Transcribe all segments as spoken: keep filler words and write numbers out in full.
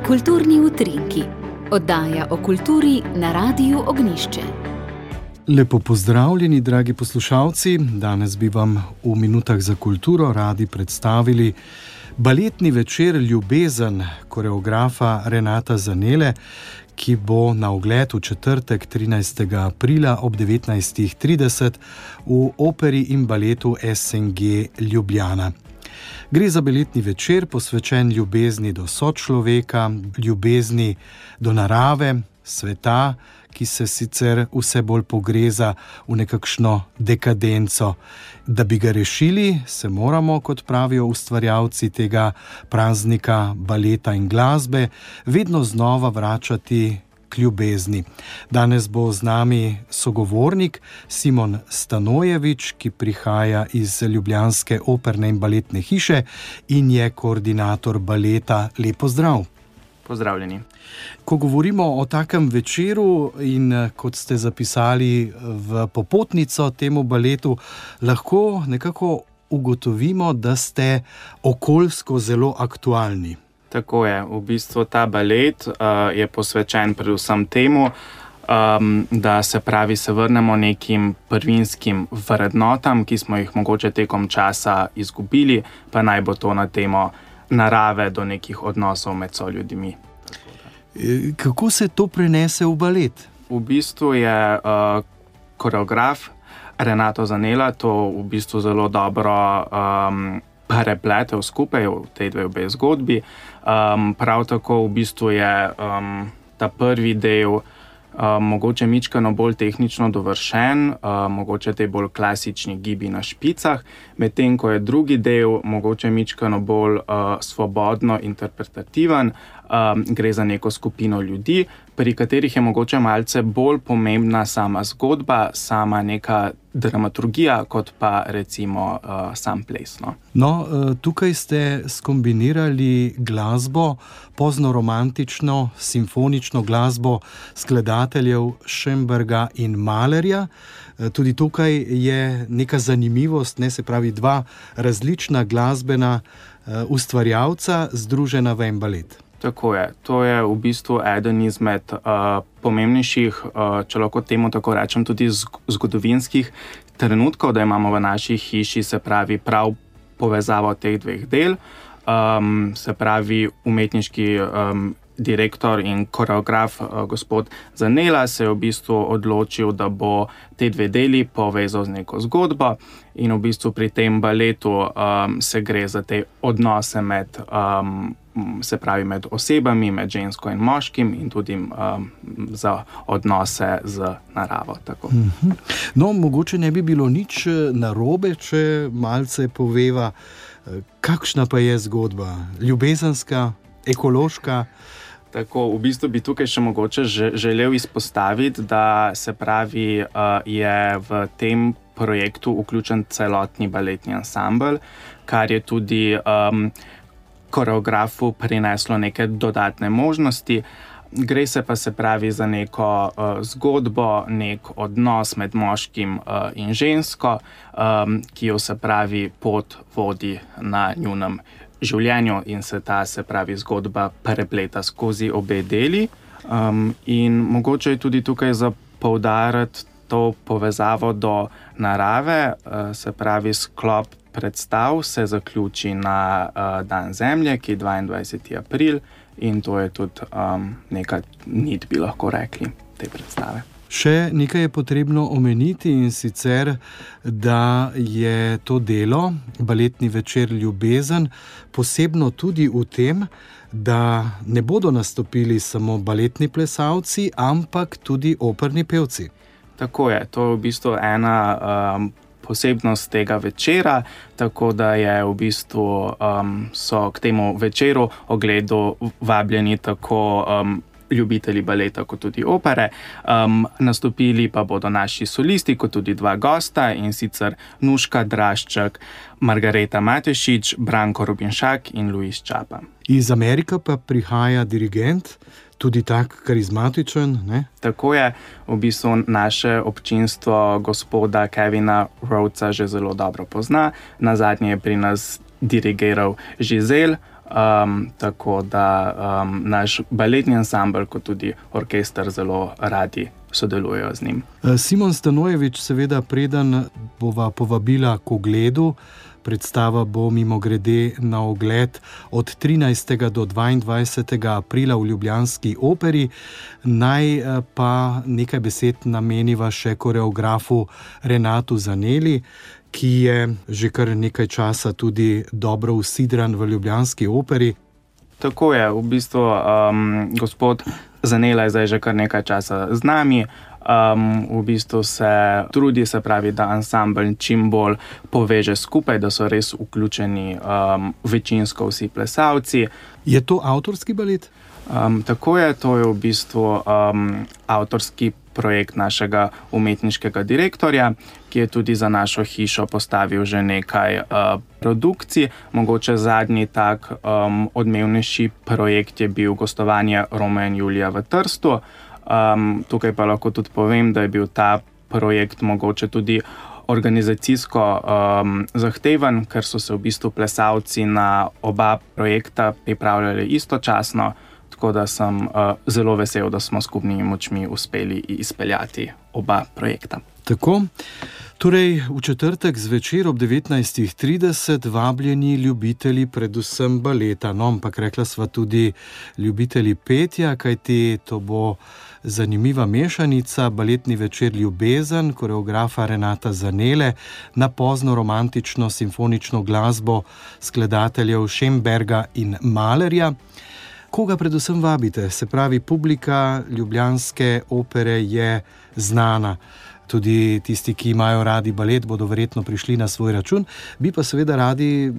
Kulturni utrinki. Oddaja o kulturi na Radiu Ognjišče. Lepo pozdravljeni, dragi poslušalci. Danes bi vam v minutah za kulturo radi predstavili baletni večer Ljubezen koreografa Renata Zanele, ki bo na ogled v četrtek trinajstega aprila ob devetnajstih trideset v operi in baletu S N G Ljubljana. Gre za baletni večer, posvečen ljubezni do sočloveka, ljubezni do narave, sveta, ki se sicer vse bolj pogreza v nekakšno dekadenco. Da bi ga rešili, se moramo, kot pravijo ustvarjalci tega praznika baleta in glasbe, vedno znova vračati k ljubezni. Danes bo z nami sogovornik Simon Stanojević, ki prihaja iz ljubljanske operne in baletne hiše in je koordinator baleta. Lep pozdrav. Pozdravljeni. Ko govorimo o takem večeru in kot ste zapisali v popotnico temu baletu, lahko nekako ugotovimo, da ste okoljsko zelo aktualni. Tako je. V bistvu ta balet uh, je posvečen predvsem temu, um, da se pravi se vrnemo nekim prvinskim vrednotam, ki smo jih mogoče tekom časa izgubili, pa naj bo to na temo narave do nekih odnosov med soljudmi. Kako se to prenese v balet? V bistvu je uh, koreograf Renato Zanela to v bistvu zelo dobro um, prepletel skupaj v tej dve obe zgodbi. Um, prav tako v bistvu je um, ta prvi del Uh, mogoče mičkano bolj tehnično dovršen, uh, mogoče te bolj klasični gibi na špicah, medtem ko je drugi del mogoče mičkano bolj uh, svobodno interpretativen, um, gre za neko skupino ljudi, pri katerih je mogoče malce bolj pomembna sama zgodba, sama neka dramaturgija, kot pa recimo uh, sam ples. No? No, tukaj ste skombinirali glasbo, poznoromantično, simfonično glasbo skladateljev Schönberga in Mahlerja. Tudi tukaj je neka zanimivost, ne, se pravi dva različna glasbena ustvarjalca združena v en balet. Tako je. To je v bistvu eden izmed uh, pomembnejših, uh, če lahko temu tako rečem, tudi zgodovinskih trenutkov, da imamo v naši hiši, se pravi, prav povezavo teh dveh del. Um, se pravi, umetniški um, direktor in koreograf uh, gospod Zanela se je v bistvu odločil, da bo te dve deli povezal z neko zgodbo in v bistvu pri tem baletu um, se gre za te odnose med um, se pravi med osebami, med žensko in moškim in tudi um, za odnose z naravo. Tako. No, mogoče ne bi bilo nič narobe, če malce poveva, kakšna pa je zgodba? Ljubezenska, ekološka? Tako, v bistvu bi tukaj še mogoče želel izpostaviti, da se pravi, uh, je v tem projektu vključen celotni baletni ansambel, kar je tudi um, koreografu prineslo neke dodatne možnosti. Gre se pa se pravi za neko uh, zgodbo, nek odnos med moškim uh, in žensko, um, ki jo se pravi pot vodi na njunem življenju in se ta se pravi zgodba prepleta skozi obe deli. Um, in mogoče je tudi tukaj za poudariti to povezavo do narave, uh, se pravi sklop predstav se zaključi na uh, Dan Zemlje, ki je dvaindvajseti april in to je tudi um, neka nit, bi lahko rekli, te predstave. Še nekaj je potrebno omeniti in sicer, da je to delo, baletni večer Ljubezen, posebno tudi v tem, da ne bodo nastopili samo baletni plesalci, ampak tudi operni pevci. Tako je, to je v bistvu ena um, posebnost tega večera, tako da je v bistvu um, so k temu večeru ogledu vabljeni tako um, ljubitelji baleta kot tudi opere. Um, nastopili pa bodo naši solisti kot tudi dva gosta in sicer Nuška Drašček, Margareta Matešič, Branko Rubinšak in Luis Čapa. Iz Amerike pa prihaja dirigent, tudi tak karizmatičen, ne? Tako je, v bistvu naše občinstvo gospoda Kevina Rhodesa že zelo dobro pozna. Nazadnje je pri nas dirigiral Giselle Um, tako da um, naš baletni ansambel, kot tudi orkester, zelo radi sodelujejo z njim. Simon Stanojevič, seveda, preden bova povabila k ogledu, predstava bo mimogrede na ogled od trinajstega do dvaindvajsetega aprila v ljubljanski operi. Naj pa nekaj besed nameniva še koreografu Renatu Zaneli, ki je že kar nekaj časa tudi dobro usidran v ljubljanski operi. Tako je, v bistvu um, gospod Zanela je zdaj že kar nekaj časa z nami. Um, v bistvu se trudi, se pravi, da ansambel čim bolj poveže skupaj, da so res vključeni um, večinsko vsi plesalci. Je to avtorski balet? Um, tako je, to je v bistvu um, avtorski projekt našega umetniškega direktorja, ki je tudi za našo hišo postavil že nekaj uh, produkcij. Mogoče zadnji tak um, odmevnejši projekt je bil gostovanje Romea in Julija v Trstu. Um, tukaj pa lahko tudi povem, da je bil ta projekt mogoče tudi organizacijsko um, zahteven, ker so se v bistvu plesalci na oba projekta pripravljali istočasno, tako da sem uh, zelo vesel, da smo skupnimi močmi uspeli izpeljati oba projekta. Tako, torej v četrtek zvečer ob devetnajstih trideset vabljeni ljubitelji predvsem baleta, no, ampak rekla sva tudi ljubitelji petja, kajti to bo zanimiva mešanica, baletni večer Ljubezen, koreografa Renata Zanele na pozno romantično simfonično glasbo skladateljev Schemberga in Mahlerja. Koga predvsem vabite? Se pravi, publika ljubljanske opere je znana. Tudi tisti, ki imajo radi balet, bodo verjetno prišli na svoj račun, bi pa seveda radi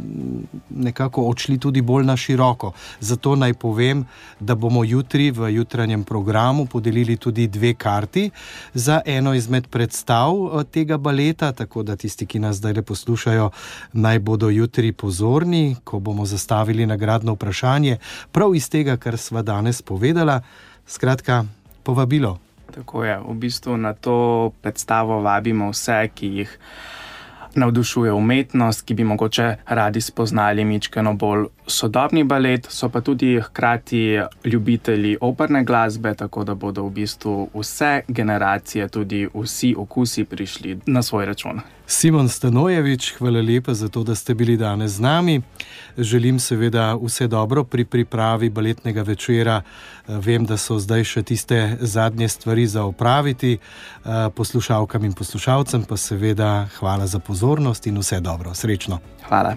nekako odšli tudi bolj na široko. Zato naj povem, da bomo jutri v jutranjem programu podelili tudi dve karti za eno izmed predstav tega baleta, tako da tisti, ki nas zdaj poslušajo, naj bodo jutri pozorni, ko bomo zastavili nagradno vprašanje, prav iz tega, kar sva danes povedala. Skratka, povabilo. Tako je, v bistvu na to predstavo vabimo vse, ki jih navdušuje umetnost, ki bi mogoče radi spoznali mičkeno bolj sodobni balet, so pa tudi hkrati ljubitelji operne glasbe, tako da bodo v bistvu vse generacije, tudi vsi okusi prišli na svoj račun. Simon Stanojevič, hvala lepa za to, da ste bili danes z nami. Želim seveda vse dobro pri pripravi baletnega večera. Vem, da so zdaj še tiste zadnje stvari za opraviti. Poslušalkam in poslušalcem pa seveda hvala za pozornost in vse dobro. Srečno. Hvala.